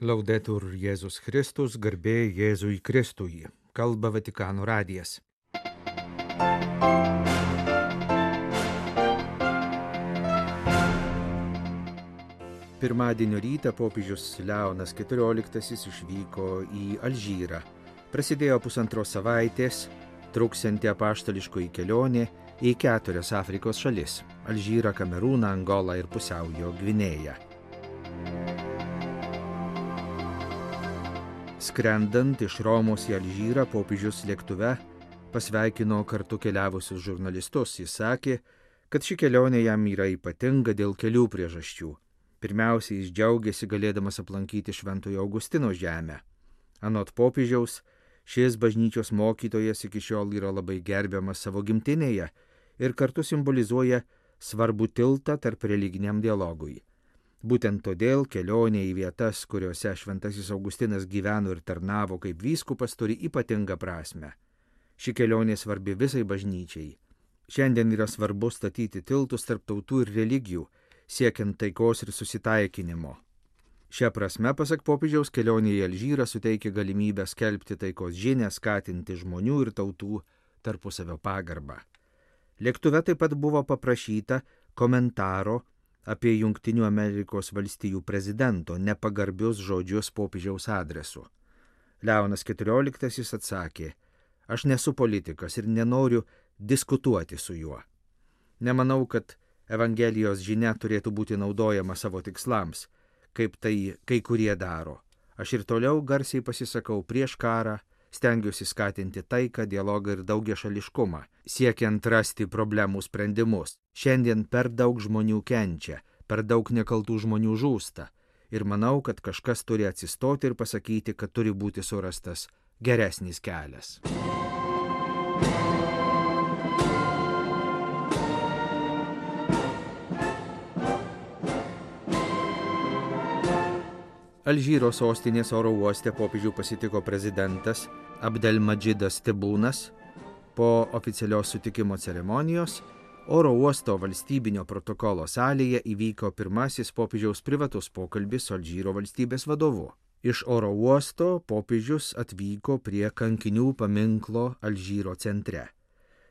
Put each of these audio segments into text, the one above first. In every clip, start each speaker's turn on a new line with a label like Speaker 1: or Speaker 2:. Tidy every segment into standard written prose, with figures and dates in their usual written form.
Speaker 1: Laudetur Jėzus Kristus, garbė Jėzui Kristui. Kalba Vatikano radijas. Pirmadienio rytą popiežius Leonas XIV išvyko į Alžyrą. Prasidėjo pusantros savaitės truksianti apaštališkoji kelionė į 4 Afrikos šalis – Alžyrą, Kamerūną, Angolą ir Pusiaujo Gvinėją. Skrendant iš Romos į Alžyrą, popiežius lėktuve pasveikino kartu keliavusius žurnalistus. Jis sakė, kad ši kelionė jam yra ypatinga dėl kelių priežasčių. Pirmiausia, jis džiaugiasi galėdamas aplankyti Šventojo Augustino žemę. Anot popiežiaus, šis bažnyčios mokytojas iki šiol yra labai gerbiamas savo gimtinėje ir kartu simbolizuoja svarbų tiltą tarp religiniam dialogui. Būtent todėl kelionė į vietas, kuriuose Šventasis Augustinas gyveno ir tarnavo kaip vyskupas, turi ypatingą prasmę. Ši kelionė svarbi visai bažnyčiai. Šiandien yra svarbu statyti tiltus tarp tautų ir religijų, siekiant taikos ir susitaikinimo. Šia prasme, pasak popiežiaus, kelionė į Alžyrą suteikia galimybę skelbti taikos žinią, skatinti žmonių ir tautų tarpusavio pagarbą. Lėktuve taip pat buvo paprašyta komentaro apie Jungtinių Amerikos valstijų prezidento nepagarbius žodžius popiežiaus adresu. Leonas XIV atsakė: "Aš nesu politikas ir nenoriu diskutuoti su juo. Nemanau, kad Evangelijos žinia turėtų būti naudojama savo tikslams, kaip tai kai kurie daro. Aš ir toliau garsiai pasisakau prieš karą, stengiuosi skatinti taiką, dialogą ir daugiašališkumą, siekiant rasti problemų sprendimus. Šiandien per daug žmonių kenčia, per daug nekaltų žmonių žūsta. Ir manau, kad kažkas turi atsistoti ir pasakyti, kad turi būti surastas geresnis kelias." Alžyro sostinės oro uoste popiežių pasitiko prezidentas Abdelmadžidas Tebūnas. Po oficialios sutikimo ceremonijos oro uosto valstybinio protokolo salėje įvyko pirmasis popiežiaus privatus pokalbis su Alžyro valstybės vadovu. Iš oro uosto popiežius atvyko prie kankinių paminklo Alžyro centre.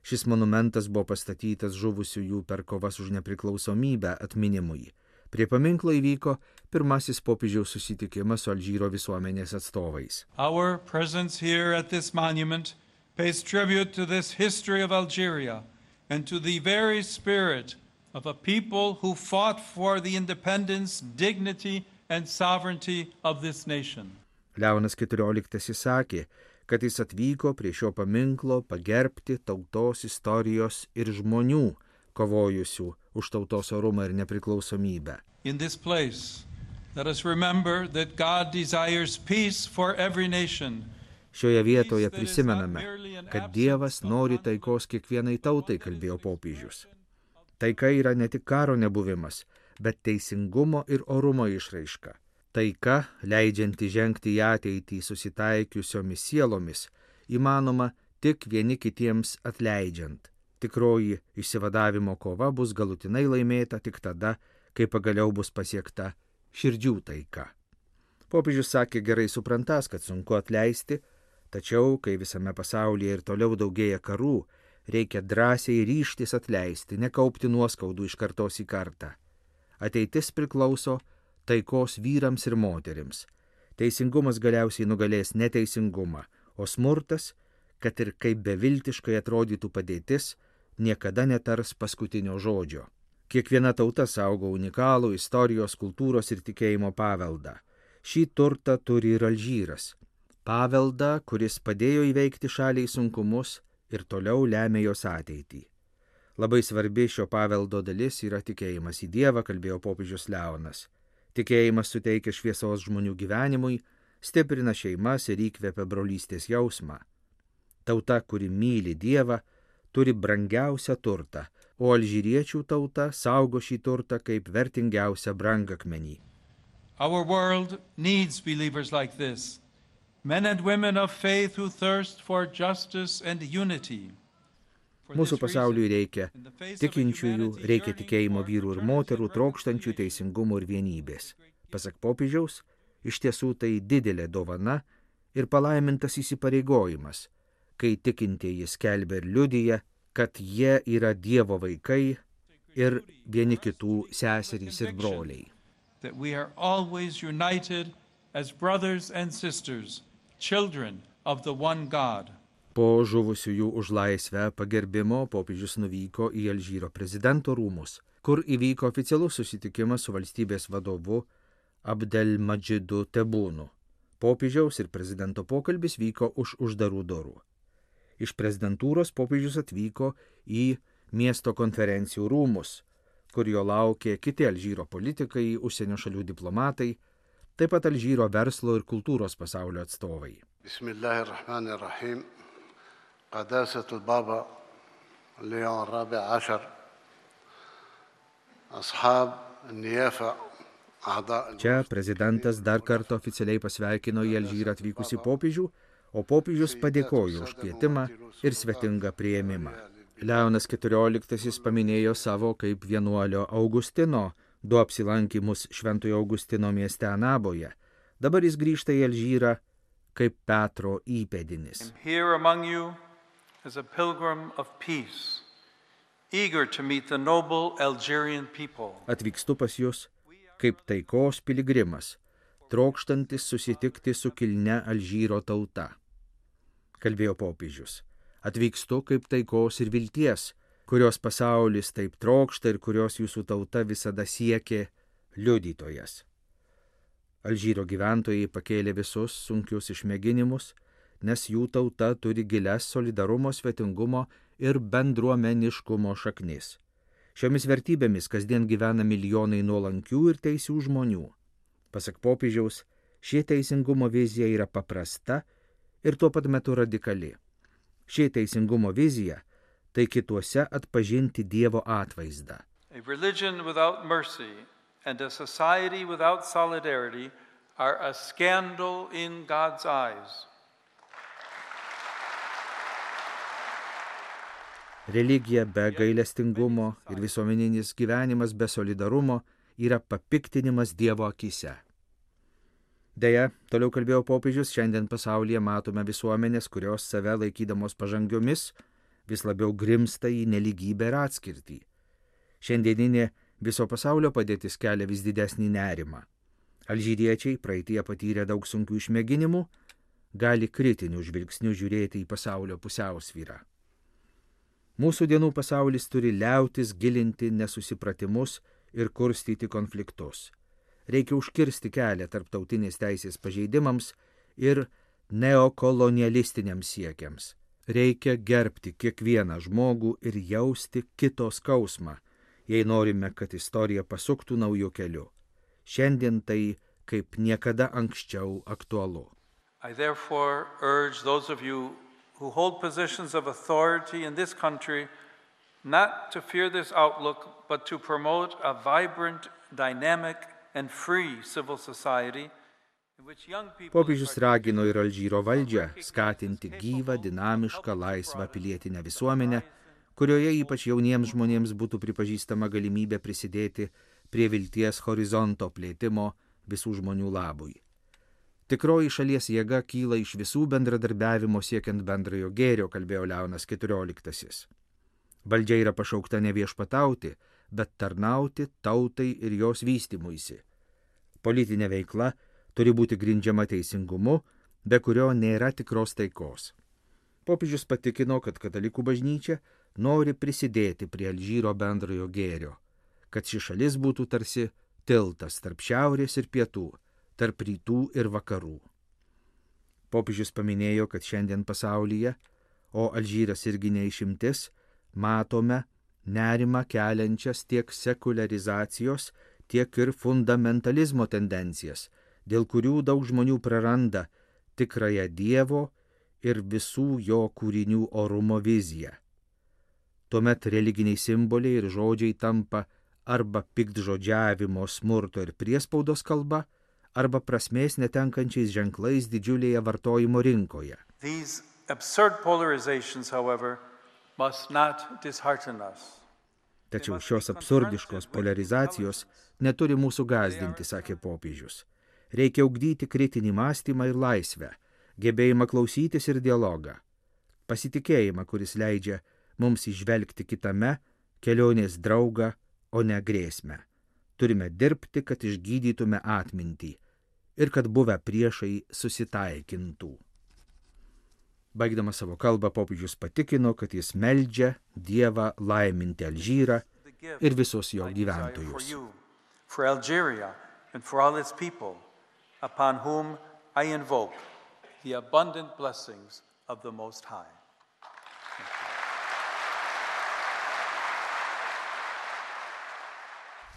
Speaker 1: Šis monumentas buvo pastatytas žuvusiųjų per kovas už nepriklausomybę atminimui. Prie paminklo įvyko pirmasis popiežiaus susitikimas su Alžyro visuomenės atstovais.
Speaker 2: Our presence here at this monument pays tribute to this history of Algeria and to the very spirit of a people who fought for the independence, dignity and sovereignty of this nation.
Speaker 1: Leonas XIV sakė, kad jis atvyko prie šio paminklo pagerbti tautos istorijos ir žmonių, kovojusių už tautos orumą ir nepriklausomybę.
Speaker 2: In this place, let us remember that God desires peace for every nation.
Speaker 1: Šioje vietoje prisimename, kad Dievas nori taikos kiekvienai tautai, kalbėjo popiežius. Taika yra ne tik karo nebuvimas, bet teisingumo ir orumo išraiška. Taika, leidžianti žengti į ateitį susitaikiusiomis sielomis, įmanoma tik vieni kitiems atleidžiant. Tikroji išsivadavimo kova bus galutinai laimėta tik tada, kai pagaliau bus pasiekta širdžių taika. Popiežius sakė gerai suprantas, kad sunku atleisti, tačiau, kai visame pasaulyje ir toliau daugėja karų, reikia drąsiai ryžtis atleisti, nekaupti nuoskaudų iš kartos į kartą. Ateitis priklauso taikos vyrams ir moterims. Teisingumas galiausiai nugalės neteisingumą, o smurtas, kad ir kaip beviltiškai atrodytų padėtis, niekada netars paskutinio žodžio. Kiekviena tauta saugo unikalų istorijos, kultūros ir tikėjimo paveldą. Šį turtą turi ir Alžyras. Paveldą, kuris padėjo įveikti šaliai sunkumus ir toliau lemia jos ateitį. Labai svarbi šio paveldo dalis yra tikėjimas į Dievą, kalbėjo popiežius Leonas. Tikėjimas suteikia šviesos žmonių gyvenimui, stiprina šeimas ir įkvepia brolystės jausmą. Tauta, kuri myli Dievą, turi brangiausią turtą, o alžyriečių tauta saugo šį turtą kaip vertingiausią brangakmenį.
Speaker 2: Our world needs believers like this, men and women of faith who thirst for justice and unity.
Speaker 1: Mūsų pasauliui reikia tikinčiųjų, reikia tikėjimo vyrų ir moterų, trokštančių teisingumo ir vienybės. Pasak popiežiaus, Iš tiesų tai didelė dovana ir palaimintas įsipareigojimas, kai tikintieji skelbia ir liudija, kad jie yra Dievo vaikai ir vieni kitų seserys ir broliai.
Speaker 2: That we are always united as brothers and sisters, children of the one God.
Speaker 1: Po žuvusiųjų už laisvę pagerbimo popiežius nuvyko į Alžyro prezidento rūmus, kur įvyko oficialus susitikimas su valstybės vadovu Abdelmadžidu Tebunu. Popiežiaus ir prezidento pokalbis vyko už uždarų durų. Iš prezidentūros popiežius atvyko į miesto konferencijų rūmus, kur jo laukė kiti Alžyro politikai, užsienio šalių diplomatai, taip pat Alžyro verslo ir kultūros pasaulio atstovai.
Speaker 3: Bismillahirrahmanirrahim. Qadasatul Baba Leon Rabi 10 Ashab Niyafa.
Speaker 1: Čia prezidentas dar kartą oficialiai pasveikino į Alžyrą atvykusi popiežių, o popiežius padėkojo už kvietimą ir svetingą priėmimą. Leonas XIV paminėjo savo kaip vienuolio Augustino 2 apsilankimus Šventojo Augustino mieste Anaboje. Dabar jis grįžta į Alžyrą kaip Petro įpėdinis.
Speaker 2: Here among you is a pilgrim of peace, eager to meet the noble Algerian people.
Speaker 1: Atvykstu pas jūs kaip taikos piligrimas, trokštantis susitikti su kilnia Alžyro tauta. Kalbėjo popiežius. Atvykstu kaip taikos ir vilties, kurios pasaulis taip trokšta ir kurios jūsų tauta visada siekė liudytojas. Alžyro gyventojai pakėlė visus sunkius išmėginimus, nes jų tauta turi gilias solidarumo, svetingumo ir bendruomeniškumo šaknis. Šiomis vertybėmis kasdien gyvena milijonai nuolankių ir teisių žmonių. Pasak popiežiaus, ši teisingumo vizija yra paprasta ir tuo pat metu radikali. Ši teisingumo vizija tai kituose atpažinti Dievo atvaizdą.
Speaker 2: A religion without mercy and a society without solidarity are a scandal in God's eyes.
Speaker 1: Religija be gailestingumo ir visuomeninis gyvenimas be solidarumo yra papiktinimas Dievo akyse. Deja, toliau kalbėjo popiežius, šiandien pasaulyje matome visuomenės, kurios save laikydamos pažangiomis vis labiau grimsta į nelygybę ir atskirtį. Šiandieninė viso pasaulio padėtis kelia vis didesnį nerimą. Alžyriečiai, praeityje patyrę daug sunkių išmėginimų, gali kritiniu žvilgsniu žiūrėti į pasaulio pusiausvyrą. Mūsų dienų pasaulis turi liautis gilinti nesusipratimus ir kurstyti konfliktus. Reikia užkirsti kelią tarptautinės teisės pažeidimams ir neokolonialistiniams siekiams. Reikia gerbti kiekvieną žmogų ir jausti kito skausmą, jei norime, kad istorija pasuktų naujų kelių. Šiandien tai kaip niekada anksčiau aktualu.
Speaker 2: I therefore urge those of you who hold positions of authority in this country not to fear this outlook, but to promote a vibrant, dynamic and free civil society in which young people...
Speaker 1: Popiežius ragino ir Alžyro valdžią skatinti gyvą, dinamišką, laisvą pilietinę visuomenę, kurioje ypač jauniems žmonėms būtų pripažįstama galimybė prisidėti prie vilties horizonto plėtimo visų žmonių labui. Tikroji šalies jėga kyla iš visų bendradarbiavimo siekiant bendrojo gėrio, kalbėjo Leonas XIV. Valdžia yra pašaukta ne viešpatauti, bet tarnauti tautai ir jos vystymuisi. Politinė veikla turi būti grindžiama teisingumu, be kurio nėra tikros taikos. Popiežius patikino, kad katalikų bažnyčia nori prisidėti prie Alžyro bendrojo gėrio, kad ši šalis būtų tarsi tiltas tarp šiaurės ir pietų, tarp rytų ir vakarų. Popiežius paminėjo, kad šiandien pasaulyje, o Alžyras irgi neišimtis, matome nerimą keliančias tiek sekuliarizacijos, tiek ir fundamentalizmo tendencijas, dėl kurių daug žmonių praranda tikrąją Dievo ir visų jo kūrinių orumo viziją. Tuomet religiniai simboliai ir žodžiai tampa arba piktžodžiavimo, smurto ir priespaudos kalba, arba prasmės netenkančiais ženklais didžiulėje vartojimo rinkoje.
Speaker 2: These absurd polarizations, however, must not dishearten us.
Speaker 1: Tačiau šios absurdiškos polarizacijos neturi mūsų gąsdinti, sakė popiežius. Reikia ugdyti kritinį mąstymą ir laisvę, gebėjimą klausytis ir dialogą, pasitikėjimą, kuris leidžia mums įžvelgti kitame kelionės draugą, o ne grėsmę. Turime dirbti, kad išgydytume atmintį ir kad buvę priešai susitaikintų. Baigdamas savo kalbą, popiežius patikino, kad jis meldžia Dievą laiminti Alžyrą ir visus jo gyventojus.
Speaker 2: For Algeria and for all its people, upon whom I invoke the abundant blessings of the Most High.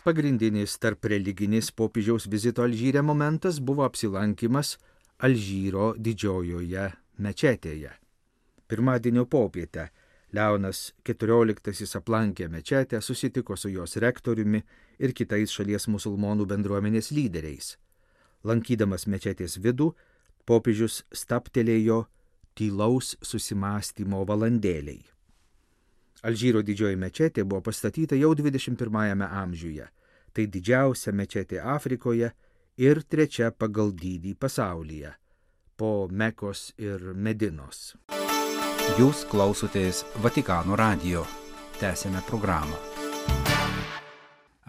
Speaker 1: Pagrindinis tarp religinis popiežiaus vizito Alžyre momentas buvo apsilankimas Alžyro didžiojoje mečetėje. Pirmadienio popietę Leonas XIV aplankė mečetę, susitiko su jos rektoriumi ir kitais šalies musulmonų bendruomenės lyderiais. Lankydamas mečetės vidų, popiežius stabtelėjo tylaus susimąstymo valandėliai. Alžyro didžioji mečetė buvo pastatyta jau 21 amžiuje. Tai didžiausia mečetė Afrikoje ir trečia pagal dydį pasaulyje, po Mekos ir Medinos.
Speaker 4: Jūs klausotės Vatikano radijo. Tęsiame programą.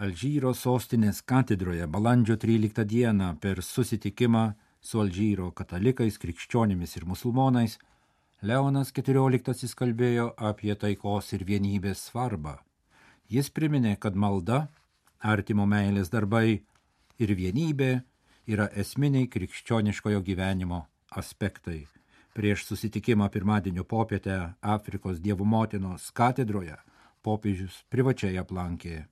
Speaker 4: Alžyro sostinės katedroje balandžio 13 dieną per susitikimą su Alžyro katalikais, krikščionimis ir musulmonais Leonas XIV kalbėjo apie taikos ir vienybės svarbą. Jis priminė, kad malda, artimo meilės darbai ir vienybė yra esminiai krikščioniškojo gyvenimo aspektai. Prieš susitikimą pirmadienio popietę Afrikos Dievo motinos katedroje popiežius privačiai aplankė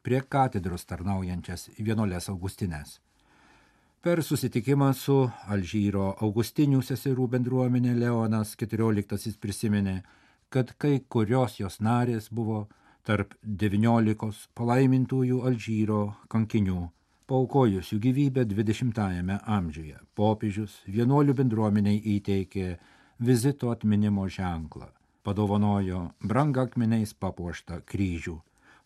Speaker 4: prie katedros tarnaujančias vienuoles Augustines. Per susitikimą su Alžyro Augustinių seserų bendruomenė Leonas XIV prisiminė, kad kai kurios jos narės buvo tarp 19 palaimintųjų Alžyro kankinių, paaukojusių gyvybę 20-ame amžiuje. Popiežius vienuolių bendruomeniai įteikė vizito atminimo ženklą, padovanojo brangakmeniais papuoštą kryžių.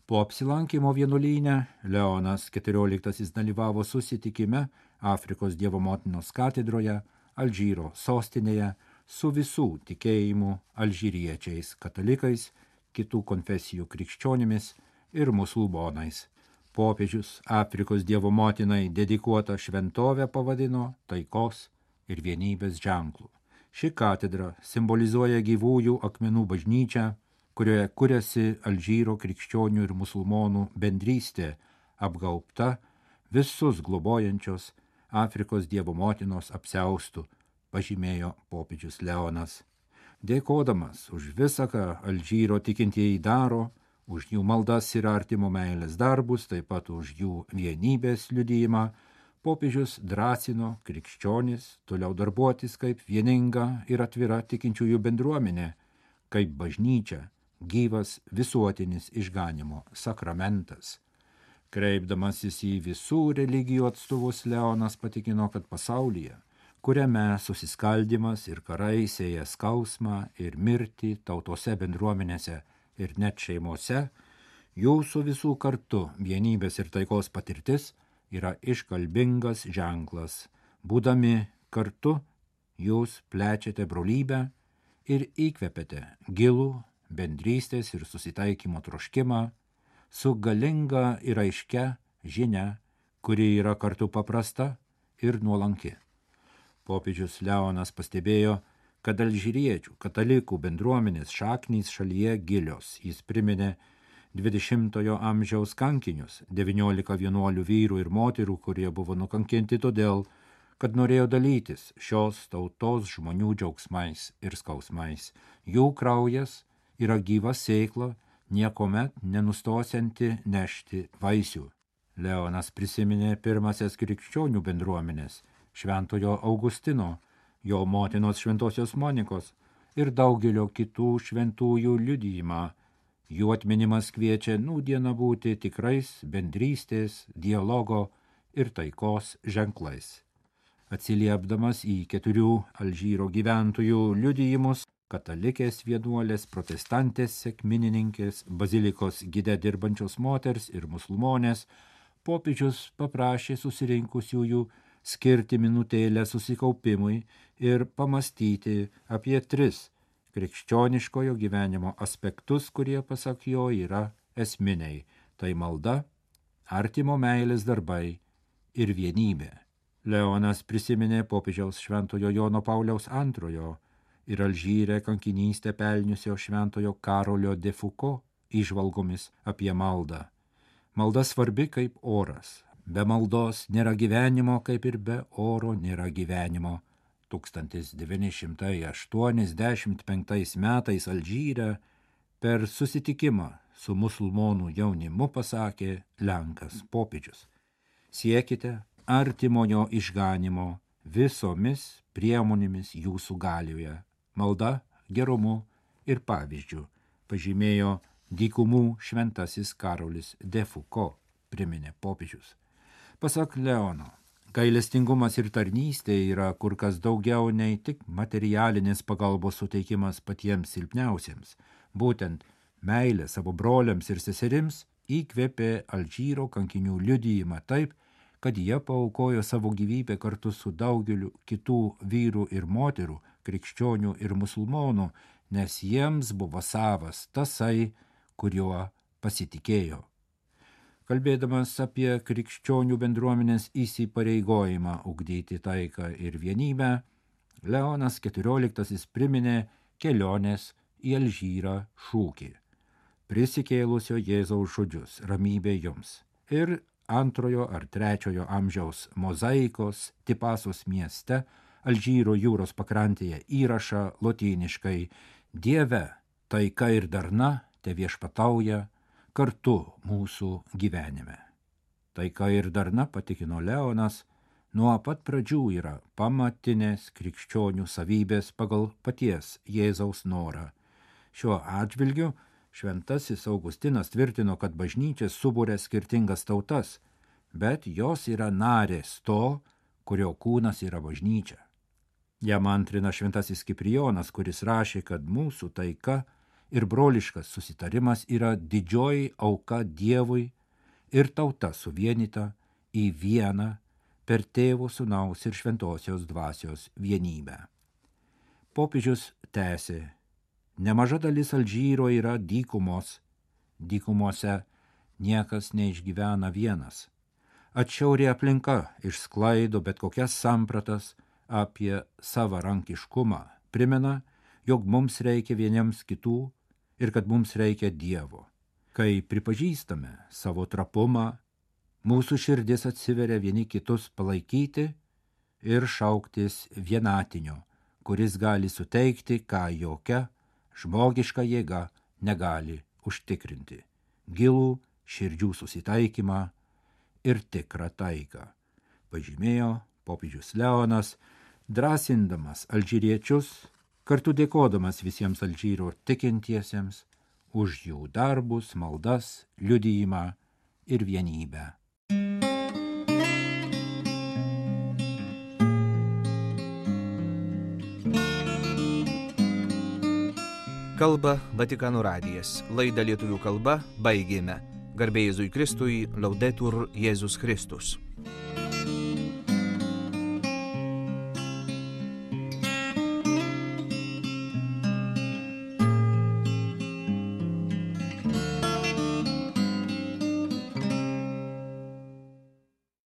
Speaker 4: Po apsilankymo vienuolyne Leonas XIV dalyvavo susitikime Afrikos Dievo motinos katedroje, Alžyro sostinėje, su visų tikėjimų alžyriečiais, katalikais, kitų konfesijų krikščionimis ir musulmonais. Popiežius Afrikos Dievo motinai dedikuotą šventovę pavadino taikos ir vienybės ženklu. Ši katedra simbolizuoja gyvųjų akmenų bažnyčią, kurioje kuriasi Alžyro krikščionių ir musulmonų bendrystė, apgaubta visus globojančios Afrikos Dievo motinos apsiaustų, pažymėjo popiežius Leonas. Dėkodamas už visą, ką Alžyro tikintieji daro, už jų maldas ir artimo meilės darbus, taip pat už jų vienybės liudijimą, popiežius drąsino krikščionis toliau darbuotis kaip vieninga ir atvira tikinčiųjų bendruomenė, kaip bažnyčia, gyvas visuotinis išganymo sakramentas. Kreipdamasis į visų religijų atstovus, Leonas patikino, kad pasaulyje, kuriame susiskaldimas ir karai sėja skausmą ir mirtį tautose, bendruomenėse ir net šeimose, jūsų visų kartu vienybės ir taikos patirtis yra iškalbingas ženklas. Būdami kartu, jūs plečiate brolybę ir įkvepiate gilų bendrystės ir susitaikymo troškimą su galinga ir aiškia žinia, kuri yra kartu paprasta ir nuolanki. Popiežius Leonas pastebėjo, kad alžyriečių katalikų bendruomenės šaknys šalyje gilios. Jis priminė 20-ojo amžiaus kankinius, 19 vienuolių vyrų ir moterų, kurie buvo nukankinti todėl, kad norėjo dalytis šios tautos žmonių džiaugsmais ir skausmais. Jų kraujas yra gyva sėkla, niekomet nenustosianti nešti vaisių. Leonas prisiminė pirmasias krikščionių bendruomenės, šventojo Augustino, jo motinos šventosios Monikos ir daugelio kitų šventųjų liudijimą. Jų atminimas kviečia nūdieną būti tikrais bendrystės, dialogo ir taikos ženklais. Atsiliepdamas į 4 Alžyro gyventojų liudijimus, katalikės vienuolės, protestantės sekminininkės, bazilikos gide dirbančios moters ir musulmonės, popiežius paprašė susirinkusiųjų skirti minutėlę susikaupimui ir pamastyti apie 3 krikščioniškojo gyvenimo aspektus, kurie pasak jo yra esminiai. Tai malda, artimo meilės darbai ir vienybė. Leonas prisiminė popiežiaus Šventojo Jono Pauliaus II ir Alžyre kankinystę pelniusio Šventojo Karolio de Foucault įžvalgomis apie maldą. Malda svarbi kaip oras. Be maldos nėra gyvenimo, kaip ir be oro nėra gyvenimo. 1985 metais Alžyre per susitikimą su musulmonų jaunimu pasakė Lenkas popiežius: siekite artimojo išganimo visomis priemonėmis jūsų galioje, malda, gerumu ir pavyzdžiu, pažymėjo dykumų šventasis Karolis de Foucault, priminė popiežius. Pasak Leono, gailestingumas ir tarnystė yra kur kas daugiau nei tik materialinės pagalbos suteikimas patiems silpniausiems. Būtent meilė savo broliams ir seserims įkvėpė Alžyro kankinių liudijimą taip, kad jie paaukojo savo gyvybę kartu su daugeliu kitų vyrų ir moterų, krikščionių ir musulmonų, nes jiems buvo savas tasai, kuriuo pasitikėjo. Kalbėdamas apie krikščionių bendruomenės įsipareigojimą ugdyti taiką ir vienybę, Leonas XIV priminė kelionės į Alžyrą šūkį: prisikėlusio Jėzaus žodžius, ramybė jums. Ir 2 ar 3 amžiaus mozaikos Tipasos mieste Alžyro jūros pakrantėje įrašą lotyniškai: Dieve, taika ir darna te viešpatauja kartu mūsų gyvenime. Taika ir darna, patikino Leonas, nuo pat pradžių yra pamatinės krikščionių savybės pagal paties Jėzaus norą. Šiuo atžvilgiu šventasis Augustinas tvirtino, kad bažnyčia subūrė skirtingas tautas, bet jos yra narės to, kurio kūnas yra bažnyčia. Jam antrina šventasis Kiprijonas, kuris rašė, kad mūsų taika ir broliškas susitarimas yra didžioji auka Dievui ir tauta suvienyta į vieną per Tėvo, Sūnaus ir Šventosios dvasios vienybę. Popiežius tęsė: nemaža dalis Alžyro yra dykumos, dykumose niekas neišgyvena vienas. Atšiauri aplinka išsklaido bet kokias sampratas apie savarankiškumą, primena, jog mums reikia vieniems kitų ir kad mums reikia Dievo. Kai pripažįstame savo trapumą, mūsų širdis atsiveria vieni kitus palaikyti ir šauktis vienatinio, kuris gali suteikti, ką jokia žmogiška jėga negali užtikrinti: gilų širdžių susitaikymą ir tikrą taiką, pažymėjo popiežius Leonas, drąsindamas alžyriečius, kartu dėkodamas visiems Alžyro tikintiesiems už jų darbus, maldas, liudijimą ir vienybę.
Speaker 1: Kalba Vatikano radijas. Laidą lietuvių kalba baigėme. Garbė Jėzui Kristui, Laudetur Jėzus Kristus.